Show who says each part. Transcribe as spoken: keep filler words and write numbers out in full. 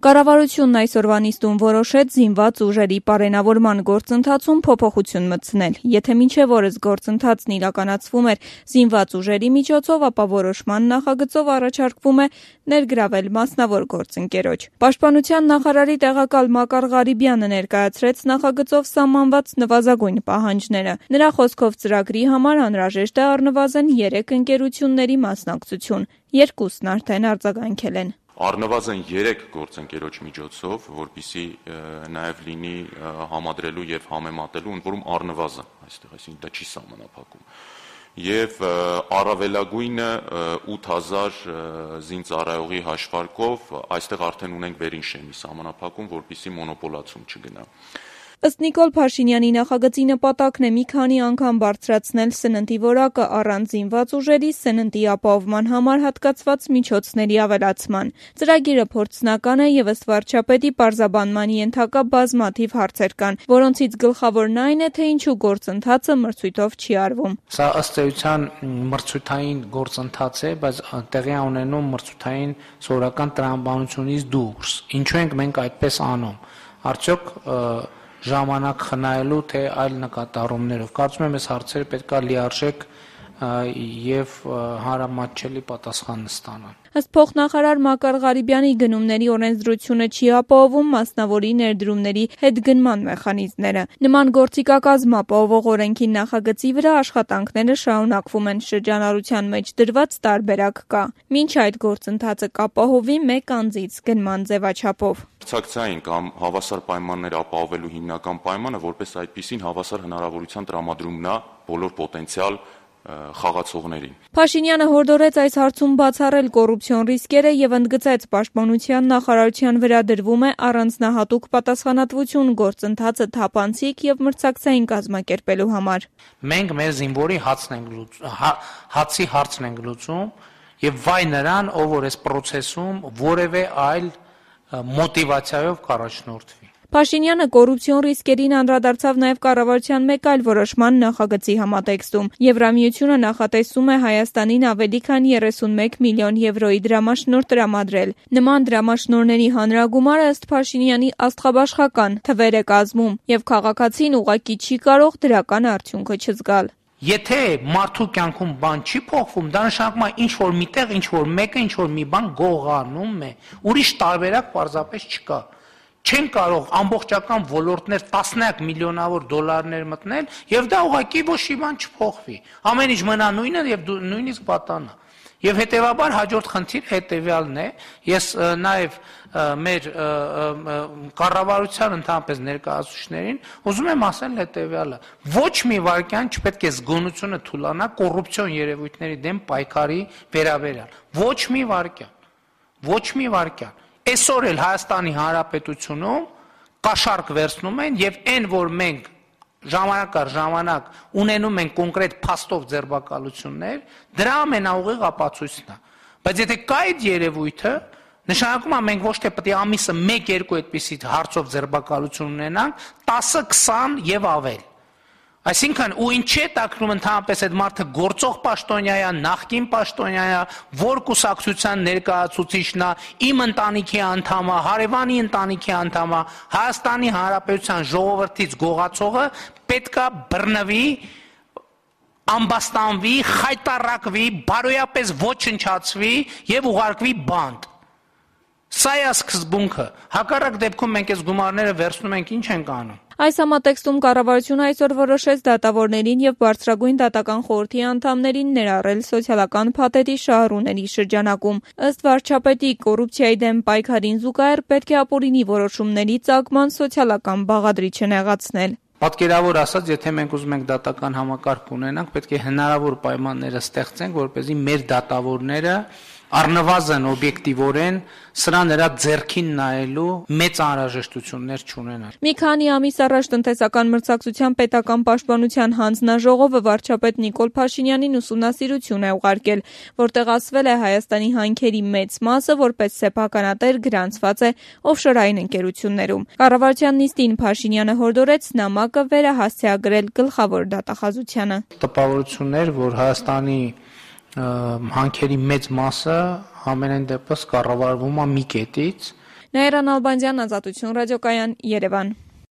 Speaker 1: Կառավարությունն այսօրվա նիստում որոշեց զինված ուժերի պարենավորման գործընթացում փոփոխություն մտցնել։ Եթե մինչև օրս գործընթացն իրականացվում էր զինված ուժերի միջոցով, ապա որոշման նախագծով առաջարկվում է ներգրավել մասնավոր գործընկերոջ։ Պաշտպանության նախարարի տեղակալ Մակար Ղարիբյանը ներկայացրեց նախագծով սահմանված նվազագույն պահանջները։ Նրա խոսքով ծրագրի համար անհրաժեշտ է առնվազն երեք ընկերությունների մասնակցություն։ Երկուսն արդեն արձագանքել են։
Speaker 2: Առնվազն երեք գործընկերոջ միջոցով, որպեսզի նաև լինի համադրելու եւ համեմատելու, ընդ որում առնվազն այստեղ, այսինքն դա չի սահմանափակում։ Եվ առավելագույնը ութ հազար զինծառայողի հաշվարկով, այստեղ արդեն ունենք վերին շեմի սահմանափակում, որպեսզի մոնոպոլացում չգնա։
Speaker 1: Ըստ Նիկոլ Փաշինյանի նախագծի նպատակն է մի քանի անգամ բարձրացնել սննդի որակը առանց զինված ուժերի սննդի ապահովման համար հատկացված միջոցների ավելացման։ Ծրագիրը փորձնական է եւ ըստ վարչապետի պարզաբանման ենթակա բազմաթիվ հարցեր կան, որոնցից գլխավորն այն է, թե ինչու գործընթացը մրցույթով չի արվում։
Speaker 3: Սա ըստ էության մրցութային գործընթաց է, բայց տեղի ունենում մրցութային սովորական տրամաբանությունից դուրս։ Ինչու ենք մենք այդպես անում։ Արդյոք ժամանակ խնայելու թե այլ նկատառումներով։ Կարծում եմ, այս հարցերը պետք է լիարժեք եւ հանրամատչելի պատասխան ստանան։
Speaker 1: Ըստ փոխնախարար Մակար Ղարիբյանի գնումների օրենսդրությունը չի ապահովում մասնավորի ներդրումների հետգնման մեխանիզմները։ Նման գործիքակազմ ապահովող օրենքի նախագծի վրա աշխատանքները շարունակվում են, շրջանառության մեջ դրված տարբերակ կա։ Մինչ այդ գործընթացը կապահովի մեկ անձից գնման ձևաչափով։
Speaker 2: Մրցակցային կամ հավասար պայմաններ ապահովելու հիմնական պայմանը որպես այդպիսին հավասար հնարավորության տրամադրումն է բոլոր պոտենցիալ խաղացողներին։
Speaker 1: Փաշինյանը հորդորեց այս հարցում բացառել կոռուպցիոն ռիսկերը եւ ընդգծեց պաշտպանության նախարարության վրա դրվում է առանձնահատուկ պատասխանատվություն գործընթացը թափանցիկ եւ մրցակցային կազմակերպելու համար։
Speaker 3: Մենք մեր զինվորի հացն ենք լուծում, հացի հարցն ենք լուծում եւ վայ նրան, ով որ այս process-ում որևէ այլ մոտիվացիայով կառաջնորդվի։
Speaker 1: Փաշինյանը կոռուպցիոն ռիսկերին անդրադարձավ նաև կառավարության մեկ այլ որոշման նախագծի համատեքստում։ Եվրամիությունը նախատեսում է Հայաստանին ավելի քան երեսունմեկ միլիոն եվրոյի դրամաշնորհ տրամադրել։ Նման դրամաշնորհների հանրագումարը ըստ Փաշինյանի աստղաբաշխական թվեր է կազմում, եւ քաղաքացին ուղղակի չի կարող դրական արդյունքը չզգալ։
Speaker 3: Եթե մարդու կյանքում բան չի փոխվում, դա նշանակում է ինչ որ միտեղ, ինչ որ մեկը, ինչ որ մի բան գողանում է։ Ուրիշ տարբերակ պարզապես չկա։ Չեն կարող ամբողջական ոլորտներ տասնյակ միլիոնավոր դոլարներ մտնել եւ դա ուղղակի ոչ մի բան չփոխվի։ Ամեն ինչ մնա նույնը եւ նույնիսկ պատանա։ Եվ հետեւաբար հաջորդ խնդիր հետեւյալն է, ես նաեւ մեր կառավարության ընդհանրապես ներկայացուցիչներին ուզում եմ ասել հետեւյալը. ոչ մի վարքյան չպետք է զգոնությունը թուլանա կոռուպցիոն երևույթների դեմ պայքարի վերաբերյալ։ Ոչ մի վարքյան։ Ոչ մի վարքյան։ Այսօր էլ Հայաստանի Հանրապետությունում կաշառք վերցնում են եւ այն որ մենք ժամանակ առ ժամանակ ունենում ենք կոնկրետ փաստով ձերբակալություններ, դրա ամենաուղիղ ապացույցն է։ Բայց եթե կա այդ երևույթը, նշանակում է մենք ոչ թե պետք է ամիսը մեկ երկու այդպիսի հարցով ձերբակալություն ունենանք, տասը քսան եւ ավել։ Այսինքն ու ինչ է տակնում ընդհանրապես այդ մարդը գործող պաշտոնյա է, նախկին պաշտոնյա է, որ կուսակցության ներկայացուցիչն է, իմ ընտանիքի անդամ է, հարևանի ընտանիքի անդամ է, Հայաստանի Հանրապետության ժողովրդից գողացողը պետքա բռնվի, ամբաստանվի, խայտարակվի, բարոյապես ոչնչացվի եւ ուղարկվի բանտ։ Սա է սկզբունքը։ Հակառակ դեպքում մենք այս գումարները վերցնում ենք, ինչ ենք անում։
Speaker 1: Այս համատեքստում կառավարությունը այսօր որոշեց դատավորներին եւ բարձրագույն դատական խորհրդի անդամներին ներառել սոցիալական փաթեթի շահառուների շրջանակում։ Ըստ վարչապետի, կոռուպցիայի դեմ պայքարին զուգահեռ պետք է ապօրինի որոշումների ծագման սոցիալական բաղադրիչը նեղացնել։
Speaker 3: Պատկերավոր ասած, եթե մենք ուզում ենք դատական համակարգ ունենանք, պետք է հնարավոր պայմանները ստեղծենք, որպեսզի մեր դատավորները առնվազն օբյեկտիվորեն սրա նրա ձեռքին նայելու մեծ անհրաժեշտություններ չունենան։
Speaker 1: Մի քանի ամիս առաջ տնտեսական մրցակցության պետական պաշտպանության հանձնաժողովը վարչապետ Նիկոլ Փաշինյանին ուսումնասիրություն է ուղարկել, որտեղ ասվել է Հայաստանի հանքերի մեծ մասը որպես սեփականատեր գրանցված է օֆշորային ընկերություններում։ Կառավարության նիստին Փաշինյանը հորդորեց նամակը վերահասցեագրել գլխավոր դատախազությանը։
Speaker 3: Տպավորություններ, որ Հայաստանի հանքերի մեծ մասը ամենայն դեպս կառավարվում է մի կետից
Speaker 1: Նաիրա Նալբանդյան, Ազատություն ռադիոկայան, Երևան։